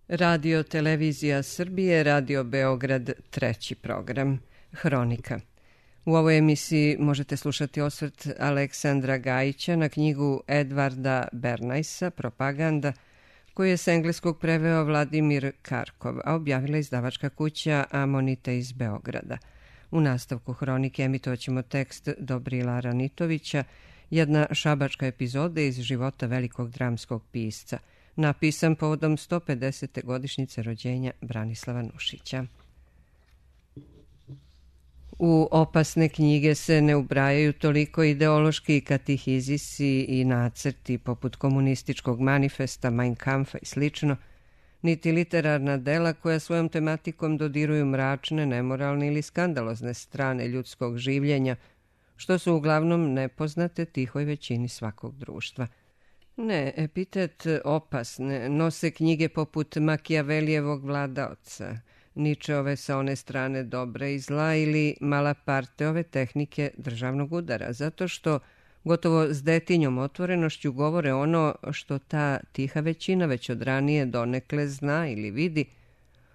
Radio Televizija Srbije, Radio Beograd, treći program, Hronika. U ovoj emisiji možete slušati osvrt Aleksandra Gajića na knjigu Edvarda Bernajsa Propaganda, koju je s engleskog preveo Vladimir Karkov, a objavila izdavačka kuća Amonite iz Beograda. U nastavku Hronike emitovaćemo tekst Dobrila Ranitovića, jedna šabačka epizoda iz života velikog dramskog pisca, napisan povodom 150. godišnjice rođenja Branislava Nušića. U opasne knjige se ne ubrajaju toliko ideološki katehizisi i nacrti poput komunističkog manifesta, Mein Kampfa i slično, niti literarna dela koja svojom tematikom dodiruju mračne, nemoralne ili skandalozne strane ljudskog življenja, što su uglavnom nepoznate tihoj većini svakog društva. Ne, epitet opasne nose knjige poput Makijavelijevog Vladaoca, Ničeove Sa one strane dobra i zla ili Malaparteove tehnike državnog udara, zato što gotovo s detinjom otvorenošću govore ono što ta tiha većina već od ranije donekle zna ili vidi,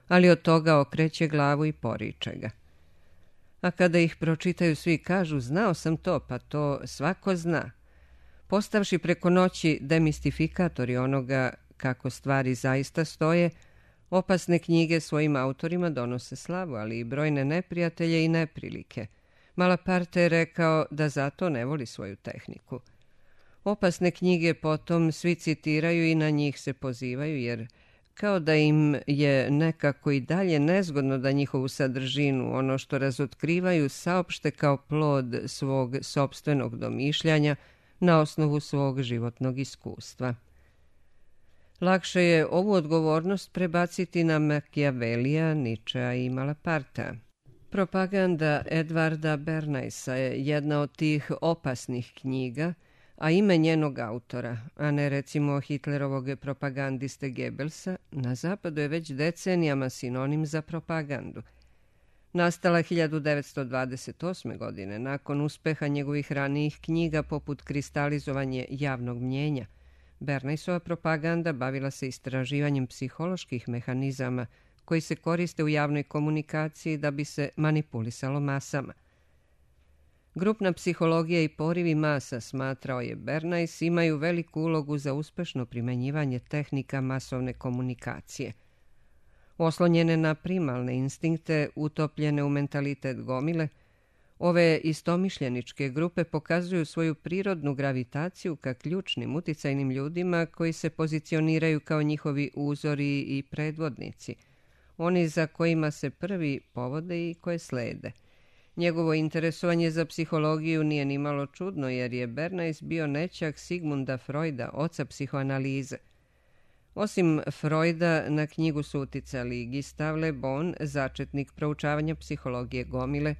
ali od toga okreće glavu i poriče ga. A kada ih pročitaju svi kažu, znao sam to, pa to svako zna. Postavši preko noći demistifikatori onoga kako stvari zaista stoje, opasne knjige svojim autorima donose slavu, ali i brojne neprijatelje i neprilike. Malaparte je rekao da zato ne voli svoju tehniku. Opasne knjige potom svi citiraju i na njih se pozivaju, jer kao da im je nekako i dalje nezgodno da njihovu sadržinu, ono što razotkrivaju, saopšte kao plod svog sopstvenog domišljanja na osnovu svog životnog iskustva. Lakše je ovu odgovornost prebaciti na Makijavelija, Ničea i Malapartea. Propaganda Edvarda Bernajsa je jedna od tih opasnih knjiga, a ime njenog autora, a ne recimo Hitlerovog propagandiste Goebbelsa, na zapadu je već decenijama sinonim za propagandu. Nastala 1928. godine, nakon uspeha njegovih ranijih knjiga poput Kristalizovanje javnog mnjenja, Bernajsova propaganda bavila se istraživanjem psiholoških mehanizama koji se koriste u javnoj komunikaciji da bi se manipulisalo masama. Grupna psihologija i porivi masa, smatrao je Bernajs, imaju veliku ulogu za uspešno primenjivanje tehnika masovne komunikacije. Oslonjene na primalne instinkte, utopljene u mentalitet gomile, ove istomišljeničke grupe pokazuju svoju prirodnu gravitaciju ka ključnim uticajnim ljudima koji se pozicioniraju kao njihovi uzori i predvodnici, oni za kojima se prvi povode i koje slede. Njegovo interesovanje za psihologiju nije nimalo čudno, jer je Bernajs bio nećak Sigmunda Freuda, oca psihoanalize. Osim Freuda, na knjigu su uticali Gustave Le Bon, začetnik proučavanja psihologije gomile,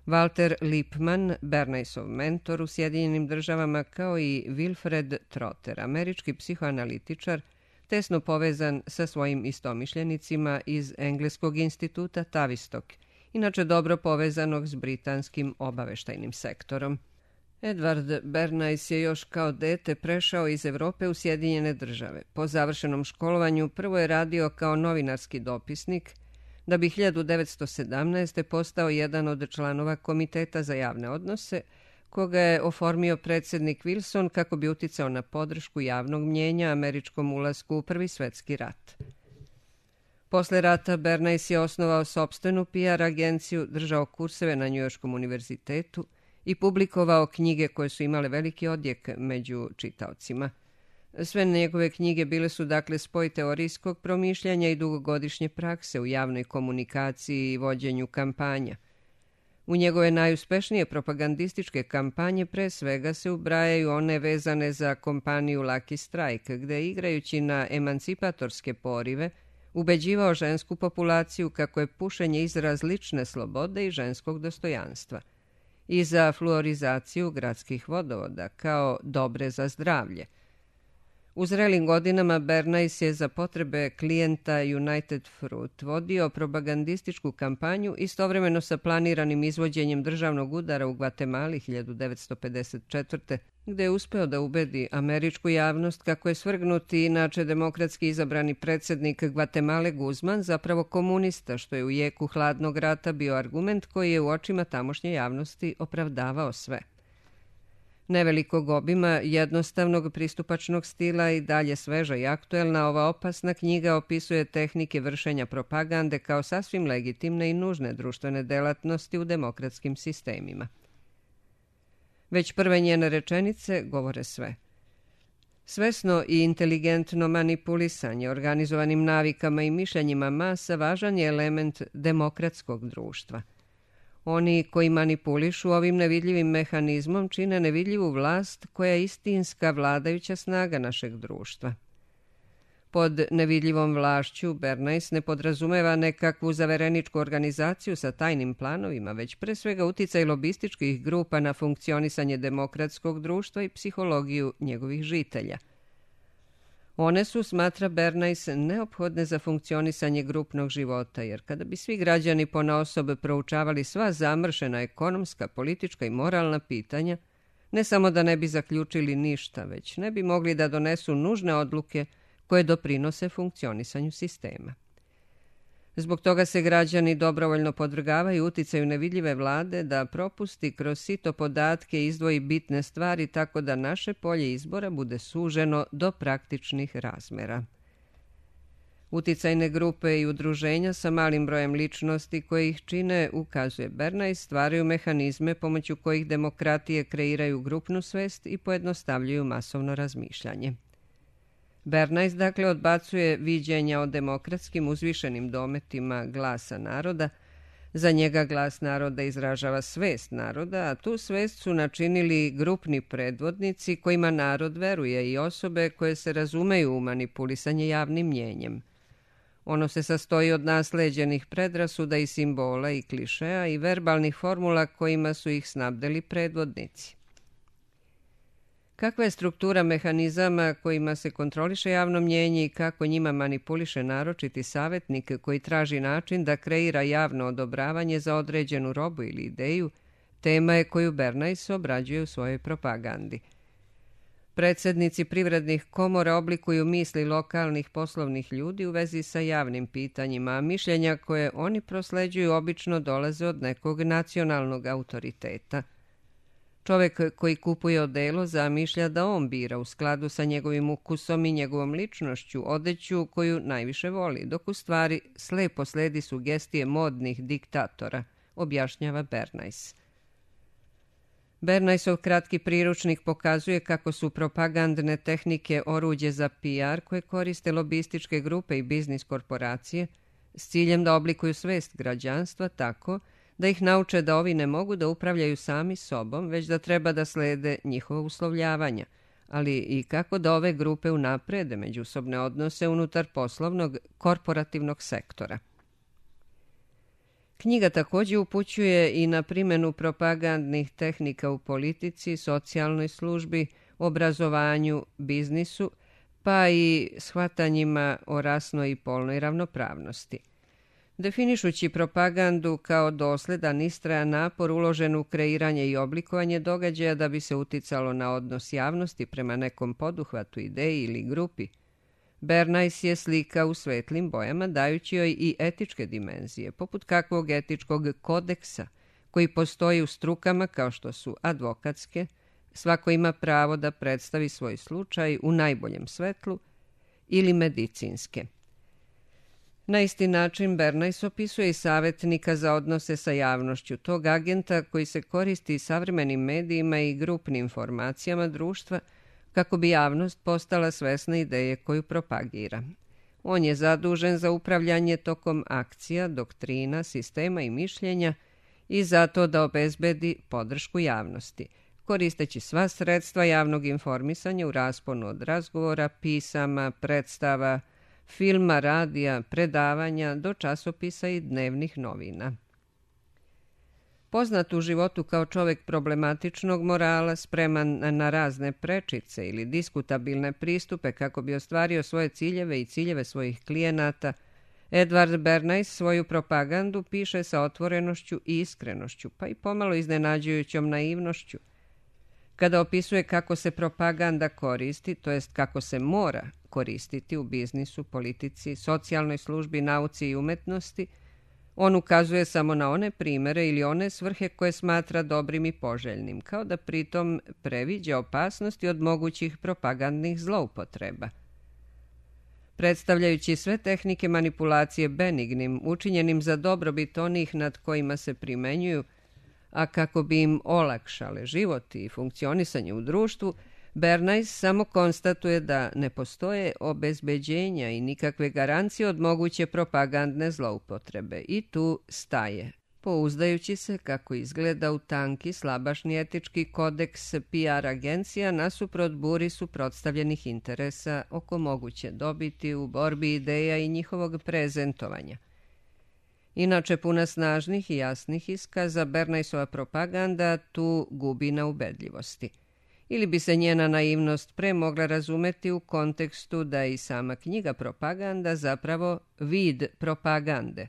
Walter Lippmann, Bernajsov mentor u Sjedinjenim Državama, kao i Wilfred Trotter, američki psihoanalitičar, tesno povezan sa svojim istomišljenicima iz Engleskog instituta Tavistock, inače dobro povezanog s britanskim obaveštajnim sektorom. Edward Bernajs je još kao dete prešao iz Evrope u Sjedinjene Države. Po završenom školovanju prvo je radio kao novinarski dopisnik, da bi 1917. postao jedan od članova Komiteta za javne odnose, koga je oformio predsjednik Wilson kako bi uticao na podršku javnog mnjenja američkom ulasku u Prvi svetski rat. Posle rata Bernajs je osnovao sopstvenu PR agenciju, držao kurseve na Njujorškom univerzitetu i publikovao knjige koje su imale veliki odjek među čitaocima. Sve njegove knjige bile su dakle spoj teorijskog promišljanja i dugogodišnje prakse u javnoj komunikaciji i vođenju kampanja. U njegove najuspešnije propagandističke kampanje pre svega se ubrajaju one vezane za kompaniju Lucky Strike, gde igrajući na emancipatorske porive ubeđivao žensku populaciju kako je pušenje izraz lične slobode i ženskog dostojanstva, i za fluorizaciju gradskih vodovoda kao dobre za zdravlje. U zrelim godinama Bernays je za potrebe klijenta United Fruit vodio propagandističku kampanju istovremeno sa planiranim izvođenjem državnog udara u Gvatemali 1954. gde je uspeo da ubedi američku javnost kako je svrgnuti inače demokratski izabrani predsjednik Gvatemale Guzman zapravo komunista, što je u jeku hladnog rata bio argument koji je u očima tamošnje javnosti opravdavao sve. Nevelikog obima, jednostavnog pristupačnog stila i dalje sveža i aktuelna, ova opasna knjiga opisuje tehnike vršenja propagande kao sasvim legitimne i nužne društvene delatnosti u demokratskim sistemima. Već prve njene rečenice govore sve. Svesno i inteligentno manipulisanje organizovanim navikama i mišljenjima masa važan je element demokratskog društva. Oni koji manipulišu ovim nevidljivim mehanizmom čine nevidljivu vlast koja je istinska vladajuća snaga našeg društva. Pod nevidljivom vlašću Bernays ne podrazumeva nekakvu zavereničku organizaciju sa tajnim planovima, već pre svega uticaj lobističkih grupa na funkcionisanje demokratskog društva i psihologiju njegovih žitelja. One su, smatra Bernays, neophodne za funkcionisanje grupnog života, jer kada bi svi građani ponaosob proučavali sva zamršena ekonomska, politička i moralna pitanja, ne samo da ne bi zaključili ništa, već ne bi mogli da donesu nužne odluke koje doprinose funkcionisanju sistema. Zbog toga se građani dobrovoljno podvrgavaju uticaju nevidljive vlade da propusti kroz sito podatke izdvoji bitne stvari tako da naše polje izbora bude suženo do praktičnih razmera. Uticajne grupe i udruženja sa malim brojem ličnosti koje ih čine, ukazuje Bernays, stvaraju mehanizme pomoću kojih demokratije kreiraju grupnu svest i pojednostavljuju masovno razmišljanje. Bernays dakle odbacuje viđenja o demokratskim uzvišenim dometima glasa naroda. Za njega glas naroda izražava svest naroda, a tu svest su načinili grupni predvodnici kojima narod veruje i osobe koje se razumeju u manipulisanje javnim mnjenjem. Ono se sastoji od nasleđenih predrasuda i simbola i klišeja i verbalnih formula kojima su ih snabdeli predvodnici. Kakva je struktura mehanizama kojima se kontroliše javno mnjenje i kako njima manipuliše naročiti savjetnik koji traži način da kreira javno odobravanje za određenu robu ili ideju, tema je koju Bernays obrađuje u svojoj propagandi. Predsjednici privrednih komora oblikuju misli lokalnih poslovnih ljudi u vezi sa javnim pitanjima, a mišljenja koje oni prosleđuju obično dolaze od nekog nacionalnog autoriteta. Čovjek koji kupuje odelo zamišlja da on bira u skladu sa njegovim ukusom i njegovom ličnošću odeću koju najviše voli, dok u stvari slepo sledi sugestije modnih diktatora, objašnjava Bernays. Bernaysov kratki priručnik pokazuje kako su propagandne tehnike oruđe za PR koje koriste lobističke grupe i biznis korporacije s ciljem da oblikuju svest građanstva tako da ih nauče da ovi ne mogu da upravljaju sami sobom, već da treba da slede njihova uslovljavanja, ali i kako da ove grupe unaprede međusobne odnose unutar poslovnog korporativnog sektora. Knjiga također upućuje i na primjenu propagandnih tehnika u politici, socijalnoj službi, obrazovanju, biznisu, pa i shvatanjima o rasnoj i polnoj ravnopravnosti. Definišući propagandu kao dosledan istrajan napor uložen u kreiranje i oblikovanje događaja da bi se uticalo na odnos javnosti prema nekom poduhvatu, ideji ili grupi, Bernays je slika u svetlim bojama dajući joj i etičke dimenzije, poput kakvog etičkog kodeksa koji postoji u strukama kao što su advokatske, svako ima pravo da predstavi svoj slučaj u najboljem svetlu, ili medicinske. Na isti način Bernays opisuje i savjetnika za odnose sa javnošću, tog agenta koji se koristi savremenim medijima i grupnim informacijama društva kako bi javnost postala svesna ideje koju propagira. On je zadužen za upravljanje tokom akcija, doktrina, sistema i mišljenja i zato da obezbedi podršku javnosti, koristeći sva sredstva javnog informisanja u rasponu od razgovora, pisama, predstava, filma, radija, predavanja do časopisa i dnevnih novina. Poznat u životu kao čovjek problematičnog morala, spreman na razne prečice ili diskutabilne pristupe kako bi ostvario svoje ciljeve i ciljeve svojih klijenata, Edward Bernays svoju propagandu piše sa otvorenošću i iskrenošću, pa i pomalo iznenađujućom naivnošću. Kada opisuje kako se propaganda koristi, to jest kako se mora koristiti u biznisu, politici, socijalnoj službi, nauci i umetnosti, on ukazuje samo na one primere ili one svrhe koje smatra dobrim i poželjnim, kao da pritom previđa opasnosti od mogućih propagandnih zloupotreba. Predstavljajući sve tehnike manipulacije benignim, učinjenim za dobrobit onih nad kojima se primenjuju, a kako bi im olakšale život i funkcionisanje u društvu, Bernays samo konstatuje da ne postoje obezbeđenja i nikakve garancije od moguće propagandne zloupotrebe i tu staje, pouzdajući se kako izgleda u tanki slabašni etički kodeks PR agencija nasuprot buri suprotstavljenih interesa oko moguće dobiti u borbi ideja i njihovog prezentovanja. Inače, puna snažnih i jasnih iskaza, Bernaysova propaganda tu gubi na ubedljivosti. Ili bi se njena naivnost pre mogla razumeti u kontekstu da je i sama knjiga Propaganda zapravo vid propagande,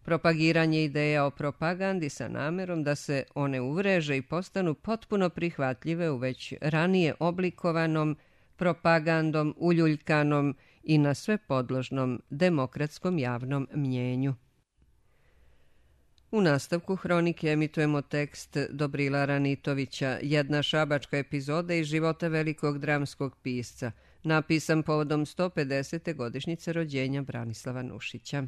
propagiranje ideja o propagandi sa namerom da se one uvreže i postanu potpuno prihvatljive u već ranije oblikovanom propagandom, uljuljkanom i na sve podložnom demokratskom javnom mnjenju. U nastavku hronike emitujemo tekst Dobrila Ranitovića, jedna šabačka epizoda iz života velikog dramskog pisca, napisan povodom 150. godišnjice rođenja Branislava Nušića.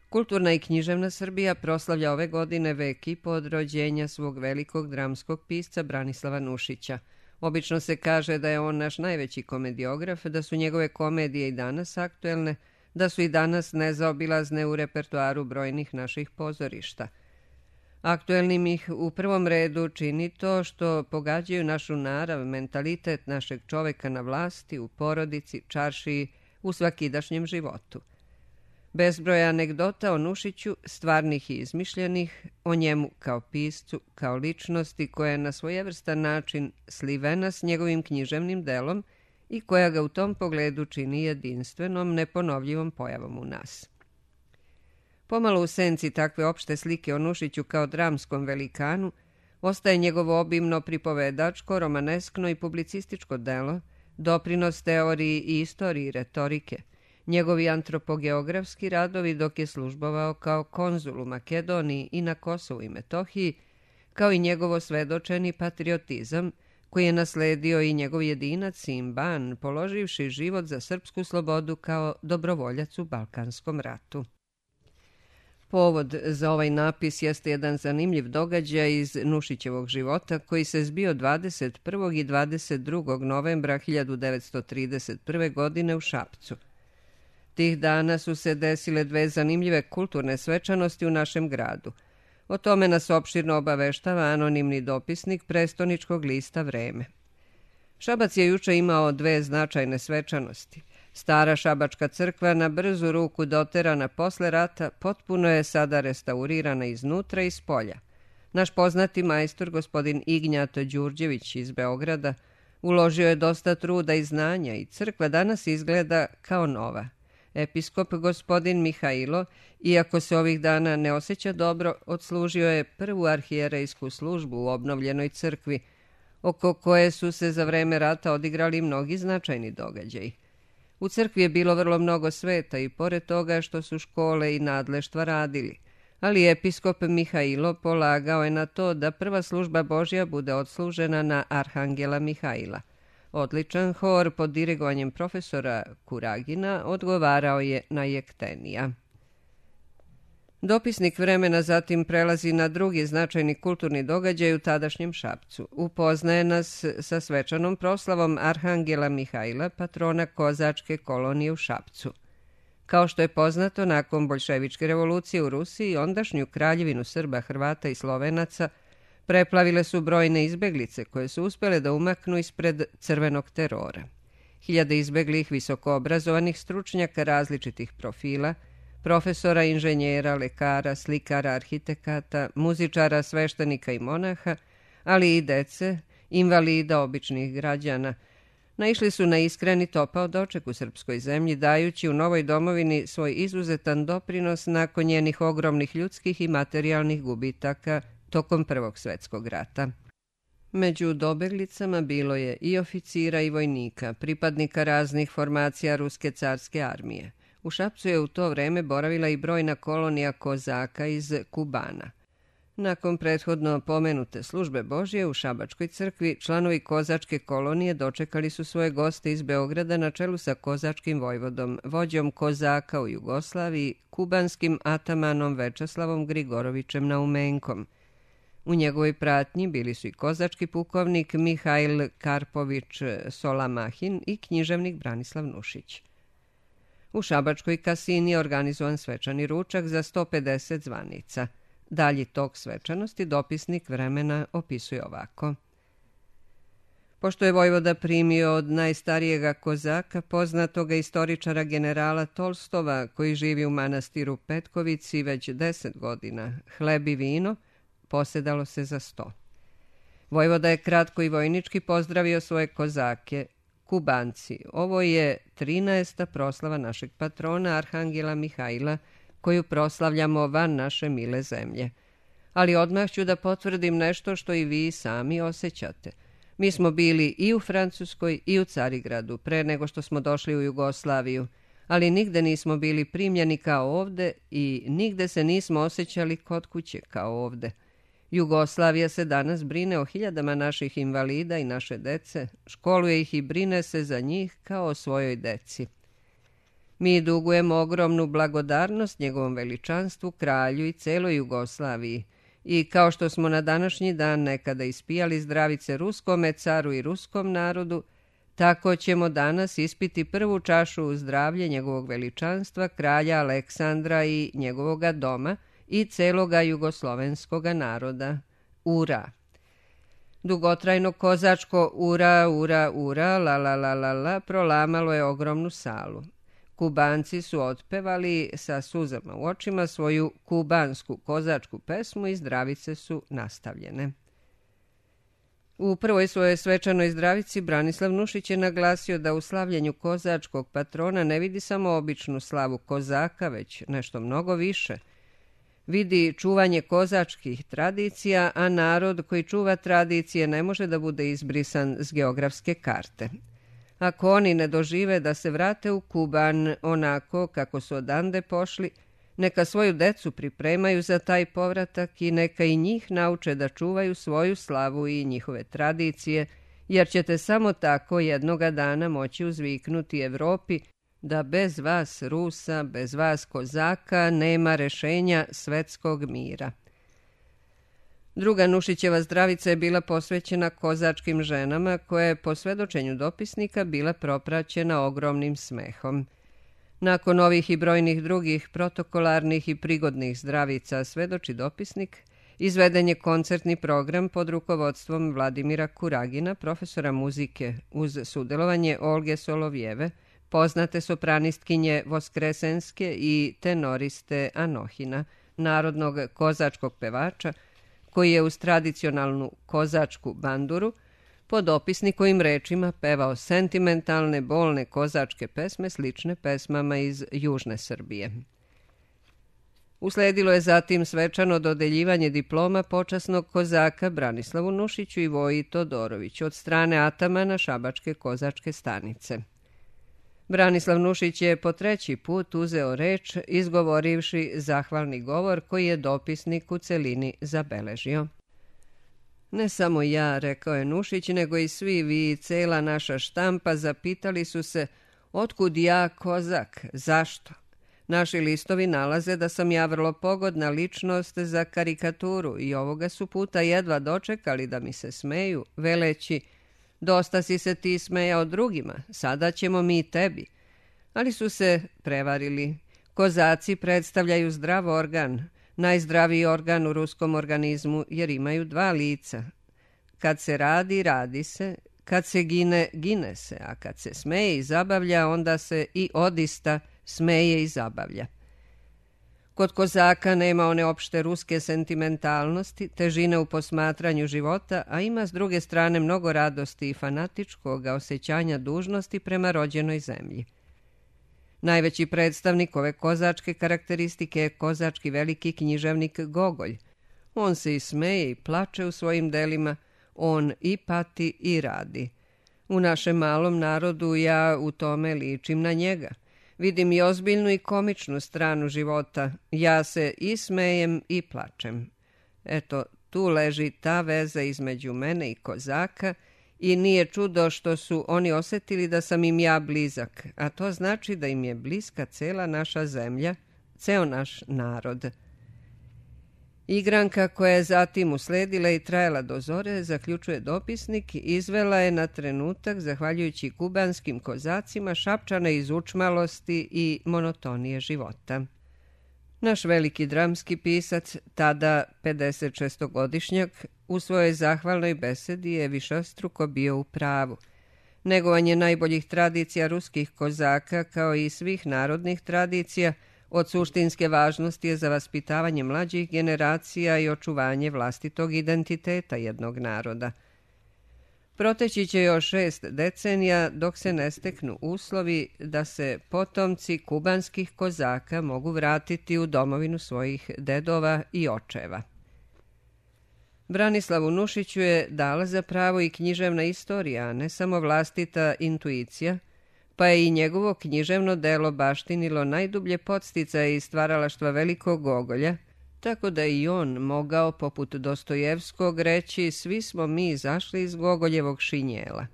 Kulturna i književna Srbija proslavlja ove godine vek i po od rođenja svog velikog dramskog pisca Branislava Nušića. Obično se kaže da je on naš najveći komediograf, da su njegove komedije i danas aktuelne, da su i danas nezaobilazne u repertoaru brojnih naših pozorišta. Aktuelnim ih u prvom redu čini to što pogađaju našu narav, mentalitet našeg čoveka na vlasti, u porodici, čaršiji, u svakidašnjem životu. Bezbroj anegdota o Nušiću, stvarnih i izmišljenih, o njemu kao piscu, kao ličnosti koja je na svojevrstan način slivena s njegovim književnim delom i koja ga u tom pogledu čini jedinstvenom, neponovljivom pojavom u nas. Pomalo u senci takve opšte slike o Nušiću kao dramskom velikanu ostaje njegovo obimno pripovedačko, romaneskno i publicističko delo, doprinos teoriji i istoriji retorike, njegovi antropogeografski radovi dok je službovao kao konzul u Makedoniji i na Kosovu i Metohiji, kao i njegovo svedočeni patriotizam, koji je nasledio i njegov jedinac Simban, položivši život za srpsku slobodu kao dobrovoljac u Balkanskom ratu. Povod za ovaj napis jeste jedan zanimljiv događaj iz Nušićevog života koji se zbio 21. i 22. novembra 1931. godine u Šapcu. Tih dana su se desile dve zanimljive kulturne svečanosti u našem gradu. O tome nas opširno obaveštava anonimni dopisnik prestoničkog lista Vreme. Šabac je juče imao dve značajne svečanosti. Stara šabačka crkva, na brzu ruku doterana posle rata, potpuno je sada restaurirana iznutra i spolja. Naš poznati majstor, gospodin Ignjat Đurđević iz Beograda, uložio je dosta truda i znanja i crkva danas izgleda kao nova. Episkop gospodin Mihajlo, iako se ovih dana ne osjeća dobro, odslužio je prvu arhijerejsku službu u obnovljenoj crkvi, oko koje su se za vreme rata odigrali mnogi značajni događaji. U crkvi je bilo vrlo mnogo sveta i pored toga što su škole i nadleštva radili, ali episkop Mihajlo polagao je na to da prva služba Božja bude odslužena na Arhangela Mihajla. Odličan hor pod dirigovanjem profesora Kuragina odgovarao je na Jektenija. Dopisnik Vremena zatim prelazi na drugi značajni kulturni događaj u tadašnjem Šapcu. Upoznaje nas sa svečanom proslavom Arhangela Mihajla, patrona kozačke kolonije u Šapcu. Kao što je poznato, nakon boljševičke revolucije u Rusiji, ondašnju kraljevinu Srba, Hrvata i Slovenaca preplavile su brojne izbeglice koje su uspjele da umaknu ispred crvenog terora. Hiljade izbeglih visokoobrazovanih stručnjaka različitih profila profesora, inženjera, lekara, slikara, arhitekata, muzičara, sveštenika i monaha, ali i dece, invalida, običnih građana, naišli su na iskreni topao doček u srpskoj zemlji, dajući u novoj domovini svoj izuzetan doprinos nakon njenih ogromnih ljudskih i materijalnih gubitaka tokom Prvog svjetskog rata. Među dobeglicama bilo je i oficira i vojnika, pripadnika raznih formacija Ruske carske armije. U Šapcu je u to vreme boravila i brojna kolonija kozaka iz Kubana. Nakon prethodno pomenute službe Božje u Šabačkoj crkvi, članovi kozačke kolonije dočekali su svoje goste iz Beograda na čelu sa kozačkim vojvodom, vođom kozaka u Jugoslaviji, kubanskim atamanom Večeslavom Grigorovićem Naumenkom. U njegovoj pratnji bili su i kozački pukovnik Mihajl Karpović Solamahin i književnik Branislav Nušić. U Šabačkoj kasini je organizovan svečani ručak za 150 zvanica. Dalji tok svečanosti dopisnik Vremena opisuje ovako. Pošto je vojvoda primio od najstarijega kozaka, poznatoga istoričara generala Tolstova, koji živi u manastiru Petkovici već 10 godina, hleb i vino, posedalo se za 100. Vojvoda je kratko i vojnički pozdravio svoje kozake. Kubanci, ovo je 13. proslava našeg patrona Arhangela Mihajla, koju proslavljamo van naše mile zemlje. Ali odmah ću da potvrdim nešto što i vi sami osjećate. Mi smo bili i u Francuskoj i u Carigradu pre nego što smo došli u Jugoslaviju, ali nigde nismo bili primljeni kao ovde i nigde se nismo osjećali kod kuće kao ovde. Jugoslavija se danas brine o hiljadama naših invalida i naše dece, školuje ih i brine se za njih kao o svojoj deci. Mi dugujemo ogromnu blagodarnost njegovom veličanstvu, kralju i celoj Jugoslaviji. I kao što smo na današnji dan nekada ispijali zdravice ruskome caru i ruskom narodu, tako ćemo danas ispiti prvu čašu u zdravlje njegovog veličanstva, kralja Aleksandra i njegovoga doma i celoga jugoslovenskoga naroda. Ura! Dugotrajno kozačko ura, ura, ura, la, la, la, la, la, prolamalo je ogromnu salu. Kubanci su otpevali sa suzama u očima svoju kubansku kozačku pesmu i zdravice su nastavljene. U prvoj svojoj svečanoj zdravici Branislav Nušić je naglasio da u slavljenju kozačkog patrona ne vidi samo običnu slavu kozaka, već nešto mnogo više. Vidi čuvanje kozačkih tradicija, a narod koji čuva tradicije ne može da bude izbrisan s geografske karte. Ako oni ne dožive da se vrate u Kuban onako kako su odande pošli, neka svoju decu pripremaju za taj povratak i neka i njih nauče da čuvaju svoju slavu i njihove tradicije, jer ćete samo tako jednoga dana moći uzviknuti Evropi da bez vas Rusa, bez vas kozaka nema rešenja svetskog mira. Druga Nušićeva zdravica je bila posvećena kozačkim ženama, koja je po svedočenju dopisnika bila propraćena ogromnim smehom. Nakon ovih i brojnih drugih protokolarnih i prigodnih zdravica, svedoči dopisnik, izveden je koncertni program pod rukovodstvom Vladimira Kuragina, profesora muzike, uz sudelovanje Olge Solovjeve, poznate sopranistkinje Voskresenske i tenoriste Anohina, narodnog kozačkog pevača, koji je uz tradicionalnu kozačku banduru pod dopisnikovim rečima pevao sentimentalne, bolne kozačke pesme slične pesmama iz južne Srbije. Usledilo je zatim svečano dodeljivanje diploma počasnog kozaka Branislavu Nušiću i Voji Todoroviću od strane atamana Šabačke kozačke stanice. Branislav Nušić je po 3. put uzeo reč, izgovorivši zahvalni govor koji je dopisnik u celini zabeležio. Ne samo ja, rekao je Nušić, nego i svi vi, cela naša štampa, zapitali su se otkud ja kozak, zašto? Naši listovi nalaze da sam ja vrlo pogodna ličnost za karikaturu i ovoga su puta jedva dočekali da mi se smeju, veleći dosta si se ti smejao drugima, sada ćemo mi tebi. Ali su se prevarili. Kozaci predstavljaju zdrav organ, najzdraviji organ u ruskom organizmu, jer imaju 2 lica. Kad se radi, radi se, kad se gine, gine se, a kad se smeje i zabavlja, onda se i odista smeje i zabavlja. Kod kozaka nema one opšte ruske sentimentalnosti, težine u posmatranju života, a ima s druge strane mnogo radosti i fanatičkog osjećanja dužnosti prema rođenoj zemlji. Najveći predstavnik ove kozačke karakteristike je kozački veliki književnik Gogolj. On se i smeje i plače u svojim delima, on i pati i radi. U našem malom narodu ja u tome ličim na njega. Vidim i ozbiljnu i komičnu stranu života. Ja se i smejem i plačem. Eto, tu leži ta veza između mene i kozaka i nije čudo što su oni osjetili da sam im ja blizak, a to znači da im je bliska cela naša zemlja, ceo naš narod. Igranka koja je zatim usledila i trajala do zore, zaključuje dopisnik, izvela je na trenutak, zahvaljujući kubanskim kozacima, šapčane iz učmalosti i monotonije života. Naš veliki dramski pisac, tada 56-godišnjak, u svojoj zahvalnoj besedi je višestruko bio u pravu. Negovanje najboljih tradicija ruskih kozaka, kao i svih narodnih tradicija, od suštinske važnosti je za vaspitavanje mlađih generacija i očuvanje vlastitog identiteta jednog naroda. Proteći će još 6 decenija dok se ne steknu uslovi da se potomci kubanskih kozaka mogu vratiti u domovinu svojih dedova i očeva. Branislavu Nušiću je dala za pravo i književna istorija, a ne samo vlastita intuicija, pa je i njegovo književno delo baštinilo najdublje podsticaje i stvaralaštva velikog Gogolja, tako da i on mogao, poput Dostojevskog, reći svi smo mi izašli iz Gogoljevog šinjela.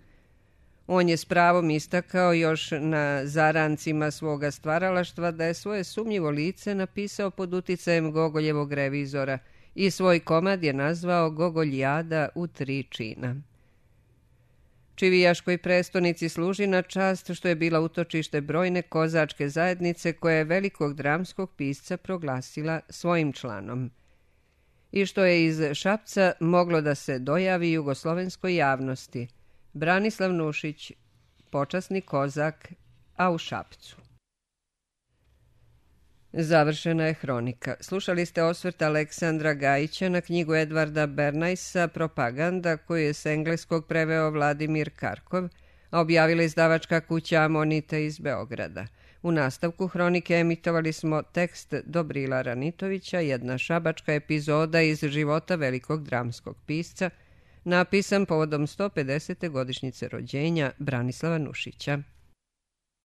On je s pravom istakao još na zarancima svoga stvaralaštva da je svoje sumnjivo lice napisao pod uticajem Gogoljevog revizora i svoj komad je nazvao Gogoljada u 3 čina. Čivijaškoj prestonici služi na čast što je bila utočište brojne kozačke zajednice koje je velikog dramskog pisca proglasila svojim članom. I što je iz Šapca moglo da se dojavi jugoslovenskoj javnosti. Branislav Nušić, počasni kozak, a u Šapcu. Završena je hronika. Slušali ste osvrt Aleksandra Gajića na knjigu Edvarda Bernajsa Propaganda, koju je s engleskog preveo Vladimir Karkov, a objavila izdavačka kuća Amonite iz Beograda. U nastavku hronike emitovali smo tekst Dobrila Ranitovića, jedna šabačka epizoda iz života velikog dramskog pisca, napisan povodom 150. godišnjice rođenja Branislava Nušića.